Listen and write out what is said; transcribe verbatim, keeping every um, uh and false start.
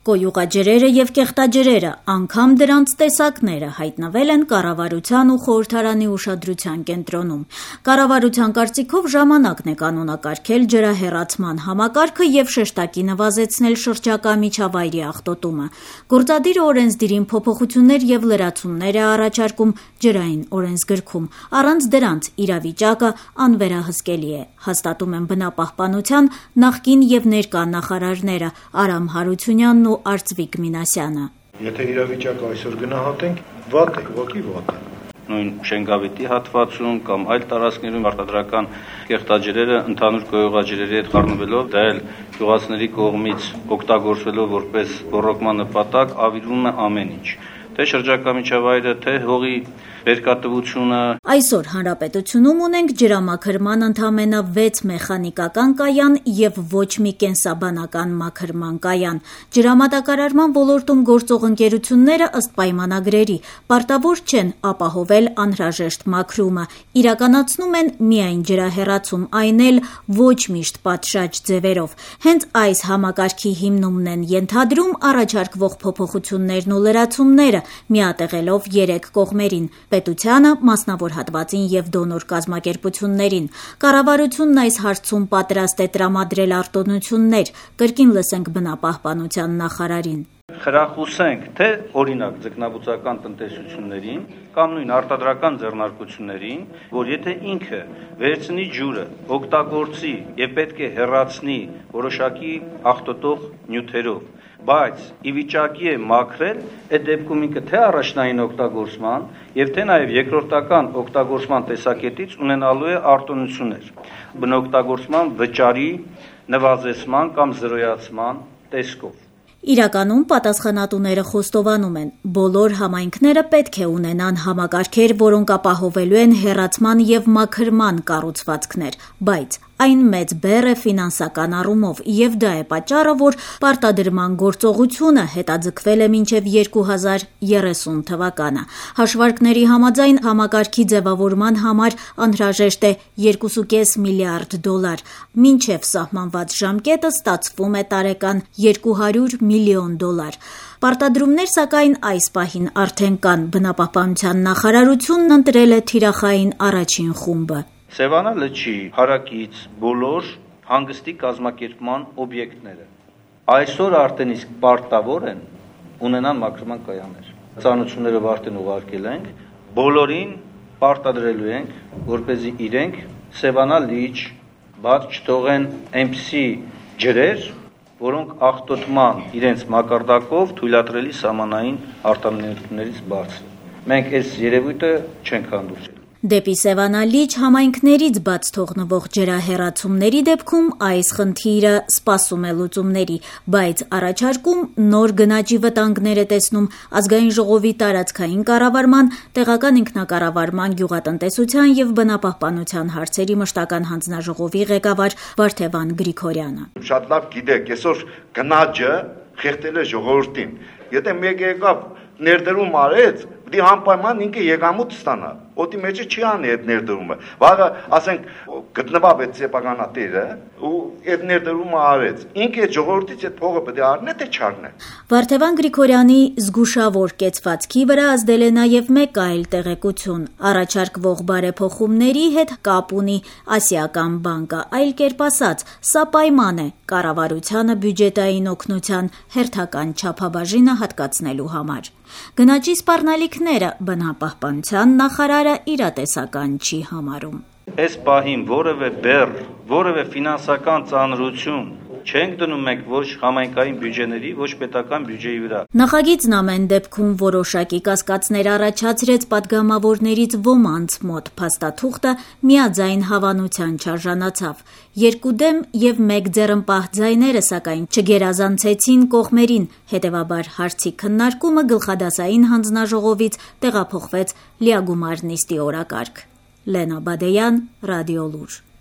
Կոյուղաջրերը եւ կեղտաջրերը, անգամ դրանց տեսակները հայտնվել են կառավարության ու խորհրդարանի ուշադրության կենտրոնում։ Կառավարության կարծիքով ժամանակն է կանոնակարգել ջրահեռացման համակարգը եւ շեշտակի նվազեցնել շրջակա միջավայրի աղտոտումը։ Գործադիրը օրենսդիրին փոփոխություններ եւ լրացումներ է առաջարկում ջրային օրենսգրքում։ Առանց դրանց իրավիճակը անվերահսկելի է, հաստատում են բնապահպանության նախկին եւ ներկա նախարարները Արամ Հարությունյանն ու Արծվիկ Մինասյանը։ Եթե իրավիճակը այսօր գնահատենք, վատ է, ուղղակի վատ է։ Նույն Շենգավիթի հատվածում կամ այլ տարածքներում արտադրական կեղտաջրերը ընդհանուր կոյուղաջրերի հետ խառնվելով, դա էլ գյուղացիների կողմից օգտագործվելով որպես ռոռոկման նպատակ ավիրվում է ամեն ինչ։ Թե շրջակա միջավայրը, թե հողի բերկատվությունը։ Այսօր հանրապետությունում ունենք ջրամաքրման ընդամենը վեց մեխանիկական կայան եւ ոչ մի կենսաբանական մաքրման կայան։ Ջրամատակարարման ոլորտում գործող ընկերությունները ըստ պայմանագրերի պարտավոր չեն ապահովել անհրաժեշտ մաքրումը, իրականացնում են միայն ջրահեռացում, այն էլ ոչ միշտ պատշաճ ձևերով։ Հենց այս համակարգի հիմնումն են ենթադրում առաջարկվող փոփոխություններն ու լրացումները, միատեղելով երեք կողմերին՝ պետությանը, մասնավոր հատվածին եւ դոնոր կազմակերպություններին։ Կառավարությունն այս հարցում պատրաստ է տրամադրել արտոնություններ, կրկին լսենք բնապահպանության նախարարին։ Խրախուսենք թե օրինակ ձկնաբուծական տնտեսություններին կամ նույն արտադրական ձեռնարկություններին, որ եթե ինքը վերցնի ջուրը, օգտագործի եւ պետք է հեռացնի որոշակի աղտոտող նյութերով, բայց ի վիճակի է մաքրել, այդ դեպքում ինքը թե առաջնային օգտագործման եւ թե նաեւ երկրորդական օգտագործման տեսակետից ունենալու է արտոնություններ բնօգտագործման վճարի նվազեցման կամ զրոյացման տեսքով։ Իրականում պատասխանատուները խոստովանում են, բոլոր համայնքները պետք է ունենան համակարգեր, որոնք ապահովելու են հեռացման եւ մաքրման կառուցվածքներ, բայց այն մեծ բեռ է ֆինանսական առումով եւ դա է պատճառը, որ պարտադրման գործողությունը հետաձգվել է մինչեւ երկու հազար երեսուն թվականը։ Հաշվարկների համաձայն համակարգի ձևավորման համար անհրաժեշտ է երկու կես միլիարդ դոլար։ Մինչեւ սահմանված ժամկետը ստացվում է տարեկան երկու հարյուր միլիոն դոլար։ Պարտադրումներ, սակայն այս պահին արդեն կան, բնապահպանության նախարարությունն ընտրել է թիրախային առաջին խումբը։ Սևանա լճի հարակից բոլոր հանգստի կազմակերպման օբյեկտները այսօր արդեն իսկ պարտավոր են ունենան մաքրման կայաններ։ Ծանոթություններով արդեն ուղարկել ենք, բոլորին պարտադրելու ենք, որպեսզի իրենք Սևանա լիճ բաց չթողեն այնպիսի ջրեր, որոնք աղտոտման իրենց մակարդակով թույլատրելի սահմանային արտոնություններից բարձր են։ Մենք այս երևույթը չենք հանդուրժել։ Դեպի Սևանա լիճ համայնքներից բաց թողնվող ջրահեռացումների դեպքում այս խնդիրը սպասում է լուծումների, բայց առաջարկում նոր գնաճի վտանգներ է տեսնում Ազգային ժողովի տարածքային կառավարման, տեղական ինքնակառավարման, գյուղատնտեսության եւ բնապահպանության հարցերի մշտական հանձնաժողովի ղեկավար Վարդևան Գրիգորյանը։ Շատ լավ գիտեք, այսօր գնաճը խեղդել է ժողովրդին։ Եթե մեկը եկավ ներդրում արեց, դի անպայման ինքը եկամուտ ստանա։ Օդի մեջը չի անի այդ ներդրումը։ Վաղը, ասենք, գտնվավ այդ սեփականատերը ու այդ ներդրումը արեց։ Ինքը այդ ժողովրդից այդ փողը պետք է առնե, թե չառնե։ Վարդևան Գրիգորյանի զգուշավոր կեցվածքի վրա ազդել է նաև մեկ այլ տեղեկություն։ Առաջարկվող բարեփոխումների հետ կապ ունի Ասիական բանկը, այլ կերպ ասած, սա պայման է կառավարությանը բյուջետային օգնության հերթական չափաբաժինը հատկացնելու համար։ Գնաճի սպառնալիքները բնապահպանության նախարարը իրատեսական չի համարում։ Այս պահին որևէ բեռ, որևէ ֆինանսական ծանրություն չենք դնում մենք ոչ համայնքային բյուջեների, ոչ պետական բյուջեի վրա։ Նախագիծն ամեն դեպքում որոշակի կասկածներ առաջացրեց պատգամավորներից ոմանց մոտ, փաստաթուղթը միաձայն հավանության չարժանացավ։ Երկու դեմ եւ մեկ ձեռնպահ ձայները, սակայն չգերազանցեցին կողմերին, հետեւաբար հարցի քննարկումը գլխադասային հանձնաժողովից տեղափոխվեց լիագումար նիստի օրակարգ։ Լենա Բադեյան, Ռադիոլուր։